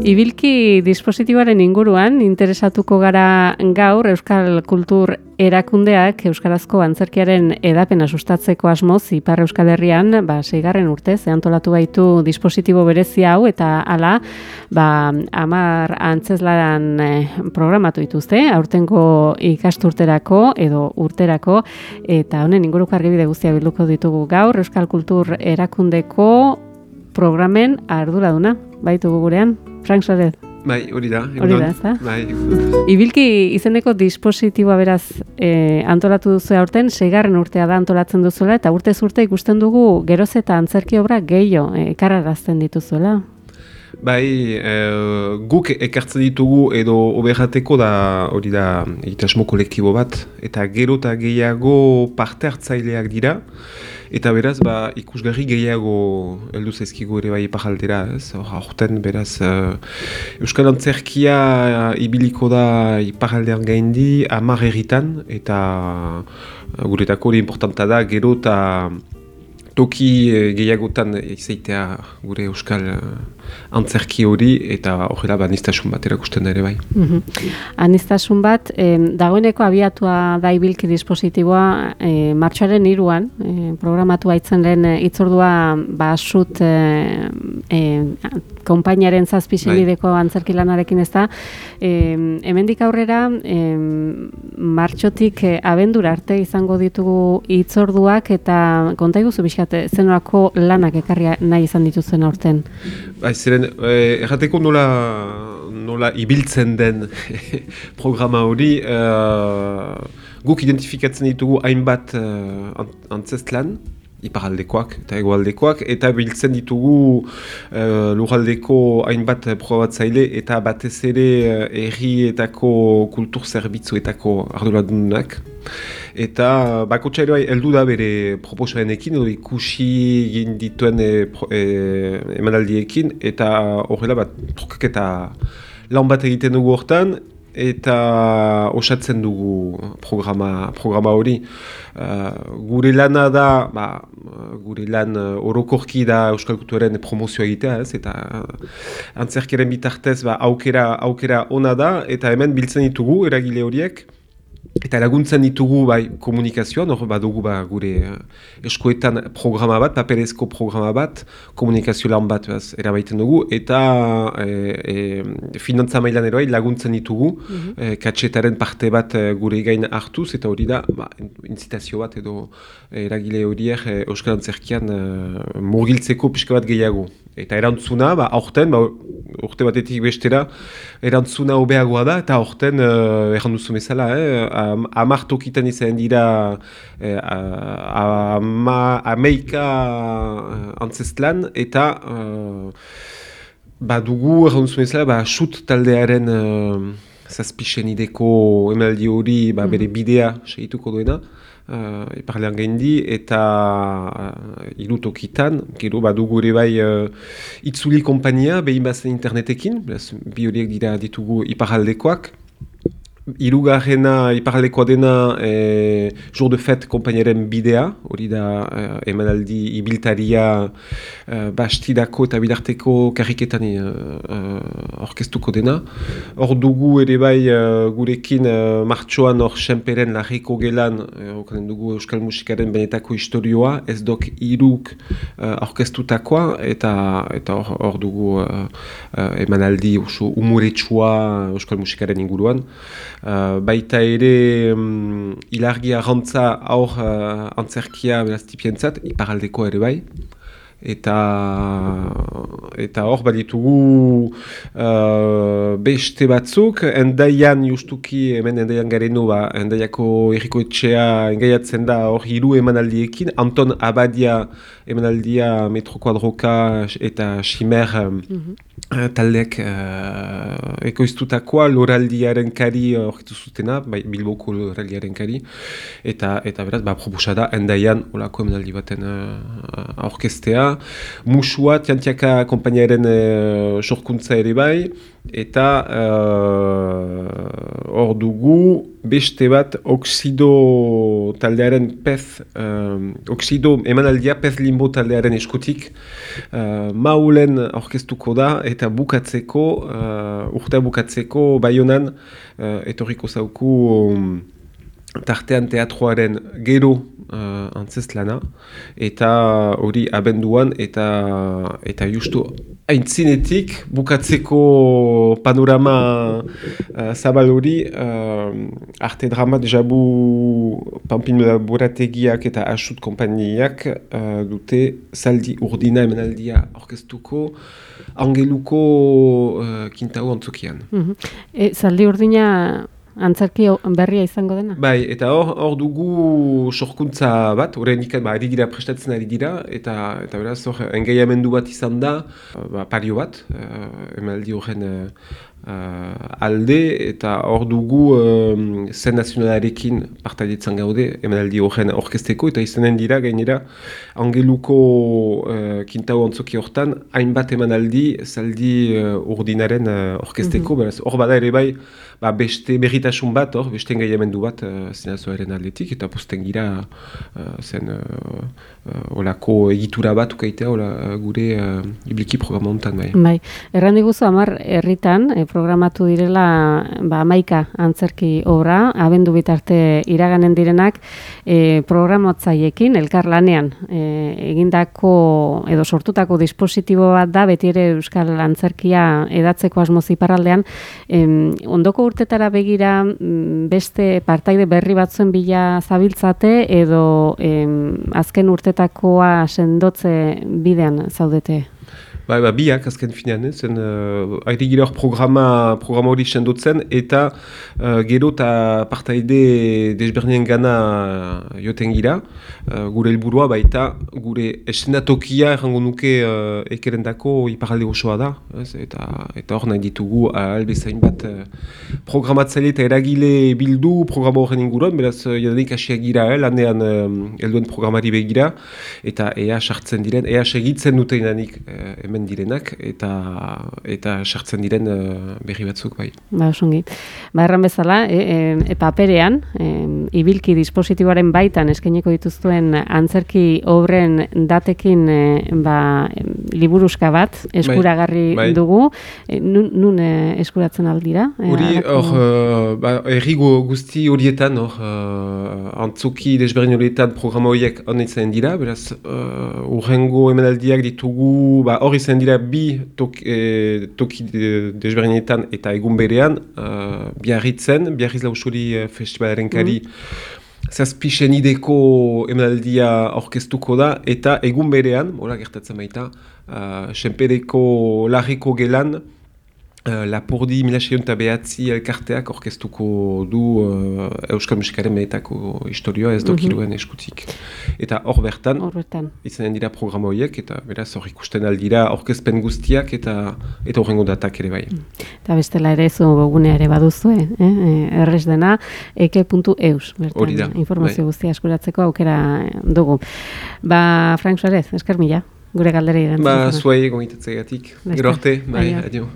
Ibilki dispositiboaren inguruan interesatuko gara gaur Euskal Kultur Erakundeak euskarazko antzerkiaren edapena sustatzeko asmoz Ipar Euskal Herrian, 6. urtez antolatu baitu dispositibo berezia hau eta hala, 10 antzezlan programatu dituzte, aurtengo ikasturterako edo urterako, eta honen inguruko argibide guztia bilduko ditugu gaur Euskal Kultur Erakundeko programen arduraduna baitugu gurean. Frank Soler. Bai, hori da, ezta? Bai. Ibilki izeneko dispositiboa beraz antolatu duzu aurten, 6. urtea da antolatzen duzuela, eta urtez urte ikusten dugu geroz eta antzerki obra gehiago ekarrarazten dituzuela. Bai, guk ekartzen ditugu edo oberrateko da hori da egitasmo kolektibo bat, eta gero eta gehiago parte hartzaileak dira, eta beraz, ikusgarri gehiago heldu zaizkigu ere bai iparraldera, ez? Aurten beraz, Euskal Antzerkia ibiliko da iparraldean gaindi 10 herritan, eta guretako hori importanta da, gero eta toki gehiagotan izaitea gure Euskal Antzerki hori, eta horrela aniztasun bat erakusten da ere bai. Aniztasun bat, dagoeneko abiatua da ibilki dispositiboa martxoaren 3an, programatu baitzen lehen itzordua sut konpainaren 7 senideko antzerki lanarekin ez da. Hemendik aurrera, martxotik abendura arte izango ditugu itzorduak, eta konta iguzu bizkat, zenolako lanak ekarri nahi izan dituzuen aurten? Ziren, errateko nola ibiltzen den programa hori, guk identifikatzen ditugu hainbat antzezlan, iparaldekoak eta hegoaldekoak, eta biltzen ditugu lurraldeko hainbat probatzaile eta batez ere herrietako kultur zerbitzuetako arduradunak. Eta bakotxa ere heldu da bere proposamenekin, edo ikusi egin dituen emanaldiekin, eta horrela trukak eta lan bat egiten dugu hortan, eta osatzen dugu programa hori. Gure lana da, gure lan orokorki da Euskal Kulturaren promozioa egitea, ez? Eta antzerkiaren bitartez aukera ona da, eta hemen biltzen ditugu eragile horiek, eta laguntzen ditugu komunikazioan, hor badugu gure eskoetan programa bat, paperezko programa bat, komunikazio lan bat erabaiten dugu, eta finantza mailan ere laguntzen ditugu, katxetaren parte bat gure gain hartuz, eta hori da, inzitazio bat edo eragile horiek Euskal Antzerkian murgiltzeko pixka bat gehiago. Eta erantzuna, aurten, urte batetik bestera, erantzuna hobeagoa da, eta aurten, erranduzu bezala, 10 tokitan izan dira 11 antzezlan, eta dugu, erranduzu bezala, sut taldearen 7 senideko emaldi hori bere bidea segituko duena, iparlean gaindi, eta 3 tokitan, gero dugu ere bai itzuli kompania, behin bazen internetekin, bi horiek dira ditugu iparaldekoak. Hirugarrena iparaldekoa dena Jour de Fête konpainaren bidea, hori da emanaldi ibiltaria bastidako eta bidarteko karriketan orkestuko dena. Hor dugu ere bai gurekin martxoan hor Senperen Larriko gelan okanen dugu Euskal Musikaren benetako historioa, ez dok 3 orkestutakoa, eta hor dugu emanaldi oso umuretsua Euskal Musikaren inguruan. Baita ere ilargia rantza aur antzerkia beraztipientzat, iparaldeko ere bai. Eta hor baditugu beste batzuk, Endaian justuki, hemen Endaian gareno, Endaiako herriko etxea engaiatzen da hor 3 emanaldiekin, Anton Abadia emanaldia Metro Kuadroka eta Ximer taldeak ekoiztutakoa, loraldiaren kari horretu zutena, Bilboko loraldiaren kari, eta beraz, proposa da Endaian olako emanaldi baten orkestea. Musua, Tiantiaka konpainiaren sorkuntza ere bai, eta hor dugu beste bat Oxido taldearen pez, Oxido emanaldia pez limbo taldearen eskutik, Maulen aurkeztuko da eta bukatzeko, urtea bukatzeko Baionan, etorriko zauku tartean teatroaren gero antzestlana, eta hori abenduan, eta justu aintzinetik bukatzeko panorama zabal hori, arte dramat jabu Pampin Borategiak eta Asut konpainiak dute zaldi urdina emanaldia aurkeztuko Angeluko Kintau antzokian. Zaldi urdina antzerki berria izango dena? Bai, eta hor dugu sorkuntza bat, horrein ikan ari dira prestatzen ari dira, eta beraz hor engaiamendu bat izan da, pario bat, emaldi horren alde, eta hor dugu zen nazionalarekin partaidetzen gaude, emaldi horren orkesteko, eta izanen dira gainera Angeluko Kintau antzoki hortan, hainbat emanaldi zaldi urdinaren orkesteko, beraz hor bada ere bai, beste berritasun bat, beste engaiamendu bat zinazoaren aldetik, eta posten gira zen olako egitura bat ukaitea gure ibliki programa honetan. Bai, erran diguzu 10 herritan programatu direla 11 antzerki obra, abendu bitarte iraganen direnak programatzaiekin, elkarlanean egindako edo sortutako dispositibo bat da, beti ere euskal antzerkia edatzeko asmoz iparraldean, ondoko urtetara begira beste partaide berri batzuen bila zabiltzate edo azken urtetakoa sendotze bidean zaudete? Biak azken finean, zen ari gira hor programa hori sendotzen, eta gero eta partaide desberdinen gana joten gira, gure helburua baita gure eszenatokia errango nuke ekerendako iparalde osoa da, eta hor nahi ditugu albezain bat programatzaile eta eragile bildu programa horren inguruan, beraz jadanik hasiak gira, lanean helduen programari begira, eta ea sartzen diren, ea segitzen dutenanik direnak eta sartzen diren berri batzuk bai. Osongi. Erran bezala, paperean, ibilki dispositiboaren baitan eskainiko dituzuen antzerki obren datekin liburuska bat eskuragarri dugu. Nun eskuratzen aldira? Hori, erri guzti horietan, antzoki desberdin horietan programa horiek honetzen dira, beraz, urrengo emanaldiak ditugu, hori zen dira bi toki desberdinetan eta egun berean, Biarritz Lausuri festivalaren kari, zazpixen ideko emanaldia aurkeztuko da, eta egun berean, hola gertatzen baita, Senpereko Larriko gelan, Lapurdi 1909 elkarteak orkestuko du Euskal Musikaren mehetako historioa ez dokiruen eskutik. Eta hor bertan, izanen dira programa horiek, eta beraz hor ikusten aldira orkezpen guztiak eta horrengo datak ere bai. Eta bestela ere zu gunea ere baduzue, errez dena, eke.eus. Hori da. Informazio guztia eskuratzeko aukera dugu. Frank Suarez, esker mila, gure galdera irantzun. Zuei, gomitatzegatik. Gero arte, adio.